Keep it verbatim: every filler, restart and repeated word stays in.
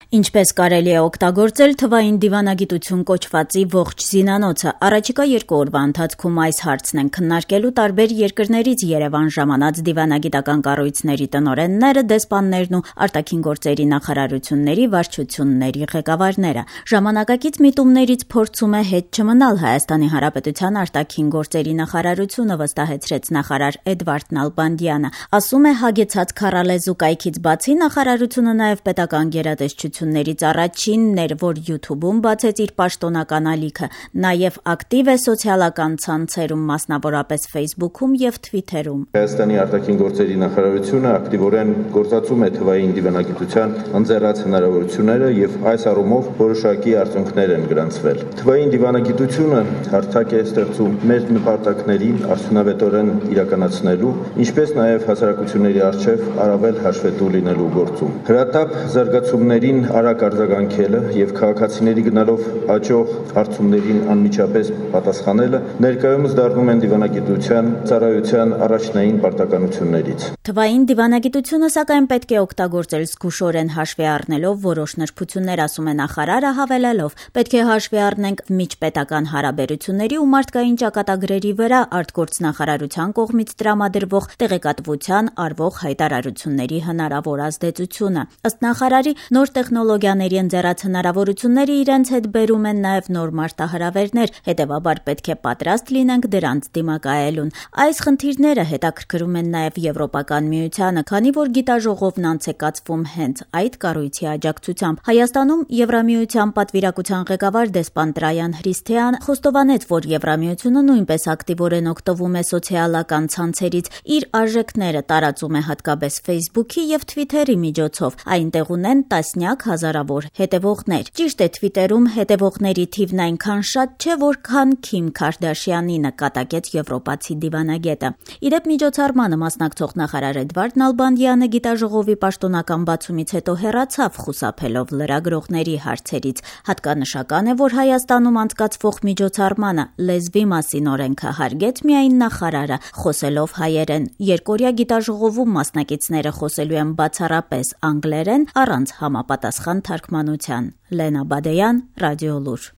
Ինչպես կարելի է օգտագործել թվային դիվանագիտություն կոչվածի ողջ զինանոցը։ Առաջիկա երկու օրվա ընթացքում այս հարցն են քննարկելու տարբեր երկրներից Երևան ժամանած դիվանագիտական կառույցների տնօրենները, դեսպաններն ու արտաքին գործերի նախարարությունների վարչությունների ղեկավարները։ Ժամանակակից միտումներից փորձում է հետ չմնալ Հայաստանի Հանրապետության արտաքին գործերի նախարարությունը, վստահեցրեց նախարար Էդվարդ Նալբանդյանը։ Ասում է, հագեցած քառալեզու կայքից բացի նախարարությունը նաև պետական գերատեսչություններից առաջինն էր, որ յութուբում բացեց իր պաշտոնական ալիքը, նաև ակտիվ է սոցիալական ցանցերում, մասնավորապես Facebook-ում եւ Twitter-ում։ Հայաստանի արտաքին գործերի նախարարությունը ակտիվորեն գործածում է թվային դիվանագիտության ընձեռած հնարավորությունները եւ այս առումով որոշակի արդյունքներ են գրանցվել։ Թվային դիվանագիտությունը հարթակ է ստեղծում մեր նպատակների արդյունավետորեն իրականացնելու, ինչպես նաև հասարակությունների առջև առավել հաշվետու լինելու գործում։ Հրատապ զարգացումներին արագ արձագանքելը եւ քաղաքացիների գնալով աճող հարցումներին անմիջապես պատասխանելը ներկայումս դառնում են դիվանագիտության ծառայության առաջնային պարտականություններից։ Թվային դիվանագիտությունը սակայն պետք է օգտագործել զգուշորեն հաշվի առնելով որոշ նրբություններ, ասում է նախարարը, հավելելով. պետք է հաշվի առնենք միջպետական հարաբերությունների ու մարդկային ճակատագրերի վրա արտգործնախարարության կողմից տրամադրվող տեղեկատվության արվող հայտարարությունների հնարավոր ազդեցությունը։ Ըստ նախարարի, նոր տեխնոլոգիաների ընձեռած հնարավորությունները իրենց հետ բերում են նաև նոր մարտահրավերներ, հետևաբար պետք է պատրաստ լինենք դրանց դիմակայելուն։ Այս խնդիրները հետաքրքրում են նաև Եվրոպական միությանը, քանի որ գիտաժողովն անց է կացվում հենց այդ կառույցի աջակցությամբ։ Հայաստանում Եվրամիության պատվիրակության ղեկավար դեսպան Տրայան Հրիսթեան խոստովանեց, որ Եվրամիությունը նույնպես ակտիվորեն օգտվում է սոցիալական ցանցերից, իր արժեքները տարածում է հատկապես Facebook-ի եւ Twitter-ի միջոցով։ Այնտեղ ունեն տասնյակ հազարավոր հետևողներ։ Ճիշտ է, Twitter-ում հետևողների թիվն այնքան շատ չէ, որքան Քիմ Քարդաշյանի, նկատակեց եվրոպացի դիվանագետը։ Իդեպ միջոցառմանը մասնակցող նախարար Էդվարդ Նալբանդյանը գիտաժողովի պաշտոնական բացումից հետո հեռացավ, խուսափելով լրագրողների հարցերից։ Հատկանշական է, որ Հայաստանում անցկացվող միջոցառմանը լեզվի մասին օրենքը հարգեց միայն նախարարը, խոսելով հայերեն։ Երկօրյա գիտաժողովում մասնակիցները խոսելու են բացառապես անգլերեն, առանց համապատասխան թարգմանության։ Լենա Բադեյան, Ռադիոլուր։